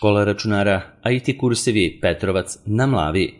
Škola računara IT kursevi Petrovac na Mlavi.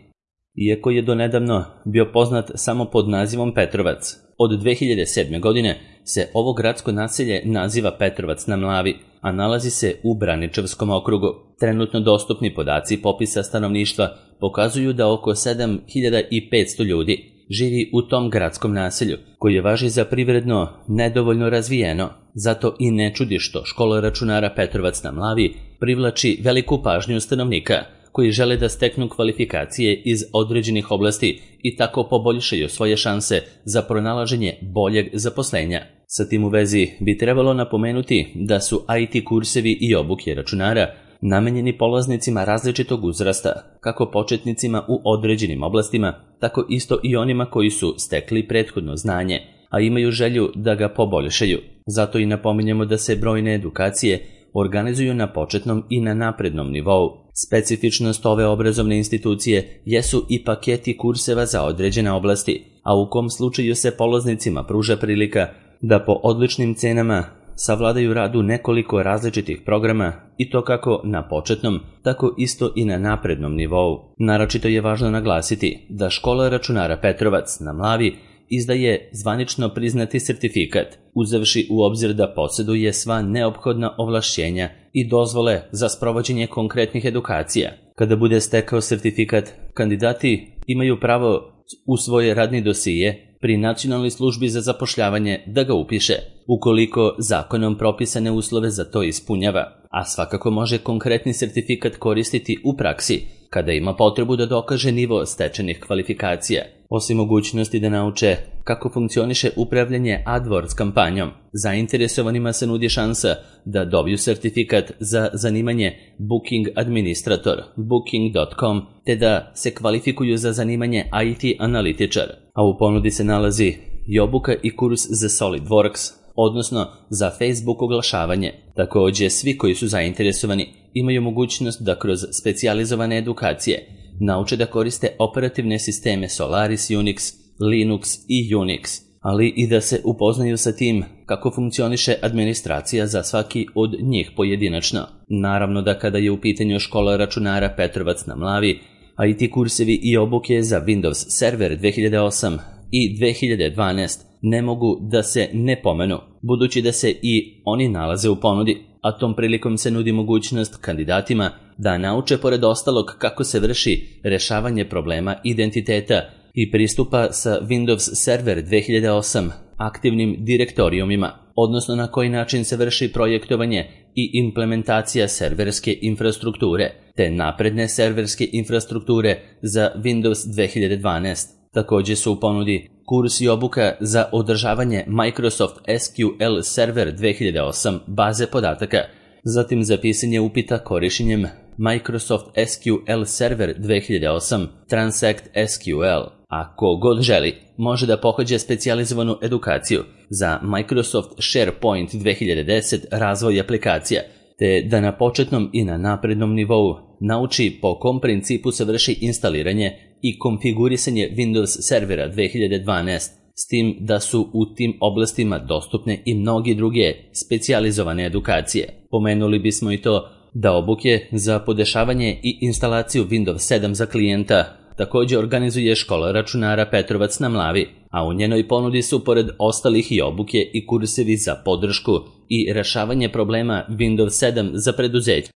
Iako je donedavno bio poznat samo pod nazivom Petrovac, od 2007. godine se ovo gradsko naselje naziva Petrovac na Mlavi, a nalazi se u Braničevskom okrugu. Trenutno dostupni podaci popisa stanovništva pokazuju da oko 7500 ljudi živi u tom gradskom naselju, koje važi za privredno nedovoljno razvijeno. Zato i ne čudi što škola računara Petrovac na Mlavi privlači veliku pažnju stanovnika koji žele da steknu kvalifikacije iz određenih oblasti i tako poboljšaju svoje šanse za pronalaženje boljeg zaposlenja. Sa tim u vezi bi trebalo napomenuti da su IT kursevi i obuke računara namenjeni polaznicima različitog uzrasta, kako početnicima u određenim oblastima, tako isto i onima koji su stekli prethodno znanje, a imaju želju da ga poboljšaju. Zato i napominjemo da se brojne edukacije organizuju na početnom i na naprednom nivou. Specifičnost ove obrazovne institucije jesu i paketi kurseva za određene oblasti, a u kom slučaju se polaznicima pruža prilika da po odličnim cenama savladaju rad u nekoliko različitih programa i to kako na početnom, tako isto i na naprednom nivou. Naročito je važno naglasiti da škola računara Petrovac na Mlavi izdaje zvanično priznati sertifikat, uzevši u obzir da posjeduje sva neophodna ovlašćenja i dozvole za sprovođenje konkretnih edukacija. Kada bude stekao sertifikat, kandidati imaju pravo u svoje radni dosije pri Nacionalnoj službi za zapošljavanje da ga upiše, ukoliko zakonom propisane uslove za to ispunjava, a svakako može konkretni sertifikat koristiti u praksi kada ima potrebu da dokaže nivo stečenih kvalifikacija. Osim mogućnosti da nauče kako funkcioniše upravljanje AdWords kampanjom, zainteresovanima se nudi šansa da dobiju sertifikat za zanimanje Booking Administrator, booking.com, te da se kvalifikuju za zanimanje IT analitičar, a u ponudi se nalazi i obuka i kurs za SolidWorks, odnosno za Facebook oglašavanje. Također, svi koji su zainteresovani imaju mogućnost da kroz specijalizovane edukacije nauče da koriste operativne sisteme Solaris Unix, Linux i Unix, ali i da se upoznaju sa tim kako funkcioniše administracija za svaki od njih pojedinačno. Naravno da kada je u pitanju škola računara Petrovac na Mlavi, IT kursevi i obuke za Windows Server 2008 i 2012 ne mogu da se ne pomenu, budući da se i oni nalaze u ponudi, a tom prilikom se nudi mogućnost kandidatima da nauče pored ostalog kako se vrši rešavanje problema identiteta i pristupa sa Windows Server 2008 aktivnim direktorijumima, odnosno na koji način se vrši projektovanje i implementacija serverske infrastrukture, te napredne serverske infrastrukture za Windows 2012. Također su u ponudi kurs i obuka za održavanje Microsoft SQL Server 2008 baze podataka, zatim za pisanje upita korištenjem Microsoft SQL Server 2008 Transact SQL. A ko god želi, može da pohađa specijalizovanu edukaciju za Microsoft SharePoint 2010 razvoj aplikacija, te da na početnom i na naprednom nivou nauči po kom principu se vrši instaliranje i konfigurisanje Windows servera 2012, s tim da su u tim oblastima dostupne i mnogi druge specijalizovane edukacije. Pomenuli bismo i to da obuke za podešavanje i instalaciju Windows 7 za klijenta također organizuje škola računara Petrovac na Mlavi, a u njenoj ponudi su pored ostalih i obuke i kursevi za podršku i rešavanje problema Windows 7 za preduzeće,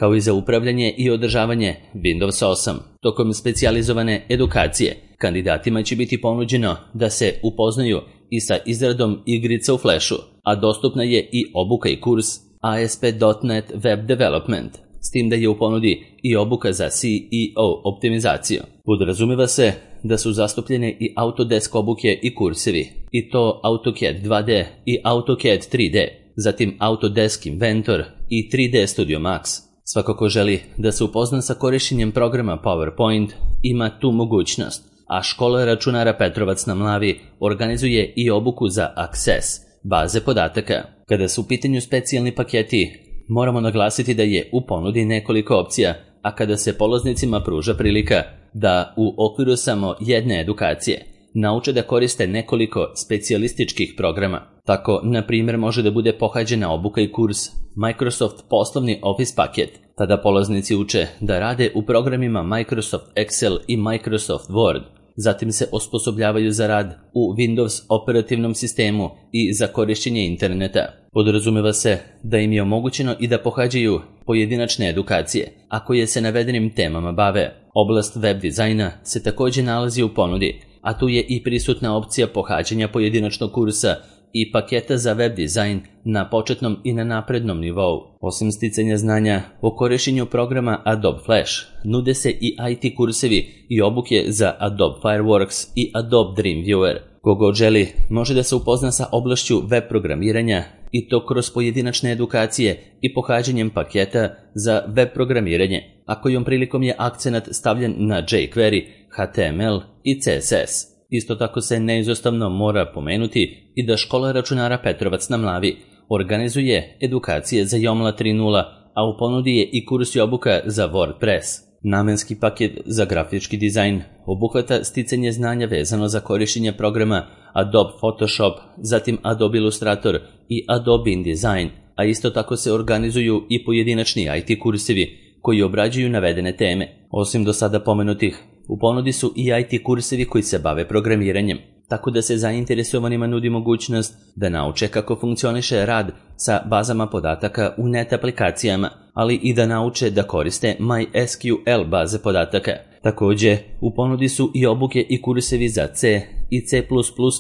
kao i za upravljanje i održavanje Windows 8. Tokom specijalizovane edukacije, kandidatima će biti ponuđeno da se upoznaju i sa izradom igrica u Flashu, a dostupna je i obuka i kurs ASP.NET Web Development, s tim da je u ponudi i obuka za CEO optimizaciju. Podrazumeva se da su zastupljene i Autodesk obuke i kursevi, i to AutoCAD 2D i AutoCAD 3D, zatim Autodesk Inventor i 3D Studio Max. Svako ko želi da se upozna sa korištenjem programa PowerPoint ima tu mogućnost, a škola računara Petrovac na Mlavi organizuje i obuku za Access, baze podataka. Kada su u pitanju specijalni paketi, moramo naglasiti da je u ponudi nekoliko opcija, a kada se polaznicima pruža prilika da u okviru samo jedne edukacije nauče da koriste nekoliko specijalističkih programa. Tako, na primjer, može da bude pohađena obuka i kurs Microsoft poslovni Office paket, Tada polaznici uče da rade u programima Microsoft Excel i Microsoft Word. Zatim se osposobljavaju za rad u Windows operativnom sistemu i za korišćenje interneta. Podrazumeva se da im je omogućeno i da pohađaju pojedinačne edukacije, a koje se navedenim temama bave. Oblast web dizajna se također nalazi u ponudi, a tu je i prisutna opcija pohađanja pojedinačnog kursa i paketa za web dizajn na početnom i na naprednom nivou. Osim sticanja znanja o korišćenju programa Adobe Flash, nude se i IT kursevi i obuke za Adobe Fireworks i Adobe Dreamweaver. Kogod želi može da se upozna sa oblašću web programiranja i to kroz pojedinačne edukacije i pohađanjem paketa za web programiranje, a kojom prilikom je akcenat stavljen na jQuery, HTML i CSS. Isto tako se neizostavno mora pomenuti i da škola računara Petrovac na Mlavi organizuje edukacije za Joomla 3.0, a u ponudi je i kurs i obuka za WordPress. Namenski paket za grafički dizajn obuhvata sticanje znanja vezano za korišćenje programa Adobe Photoshop, zatim Adobe Illustrator i Adobe InDesign, a isto tako se organizuju i pojedinačni IT kursevi koji obrađuju navedene teme. Osim do sada pomenutih, u ponudi su i IT kursevi koji se bave programiranjem, tako da se zainteresovanima nudi mogućnost da nauče kako funkcioniše rad sa bazama podataka u net aplikacijama, ali i da nauče da koriste MySQL baze podataka. Također, u ponudi su i obuke i kursevi za C i C++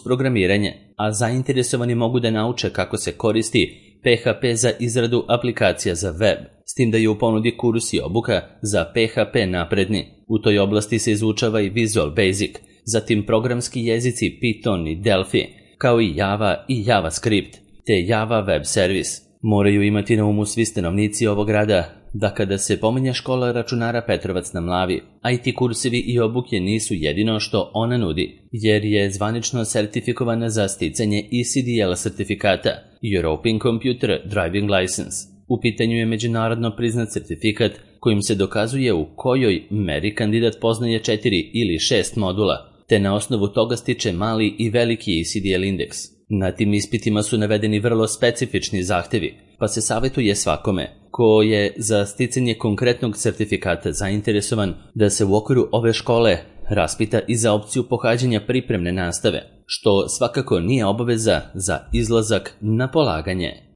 programiranje, a zainteresovani mogu da nauče kako se koristi PHP za izradu aplikacija za web, s tim da je u ponudi kurs i obuka za PHP napredni. U toj oblasti se izučava i Visual Basic, zatim programski jezici Python i Delphi, kao i Java i JavaScript, te Java Web Service. Moraju imati na umu svi stanovnici ovog grada da kada se pominje škola računara Petrovac na Mlavi, IT kursevi i obuke nisu jedino što ona nudi, jer je zvanično sertifikovana za sticanje ECDL sertifikata, European Computer Driving License. U pitanju je međunarodno priznat sertifikat kojim se dokazuje u kojoj meri kandidat poznaje 4 ili 6 modula, te na osnovu toga stiče mali i veliki ECDL indeks. Na tim ispitima su navedeni vrlo specifični zahtevi, pa se savjetuje svakome ko je za sticanje konkretnog sertifikata zainteresovan da se u okviru ove škole raspita i za opciju pohađanja pripremne nastave, što svakako nije obaveza za izlazak na polaganje.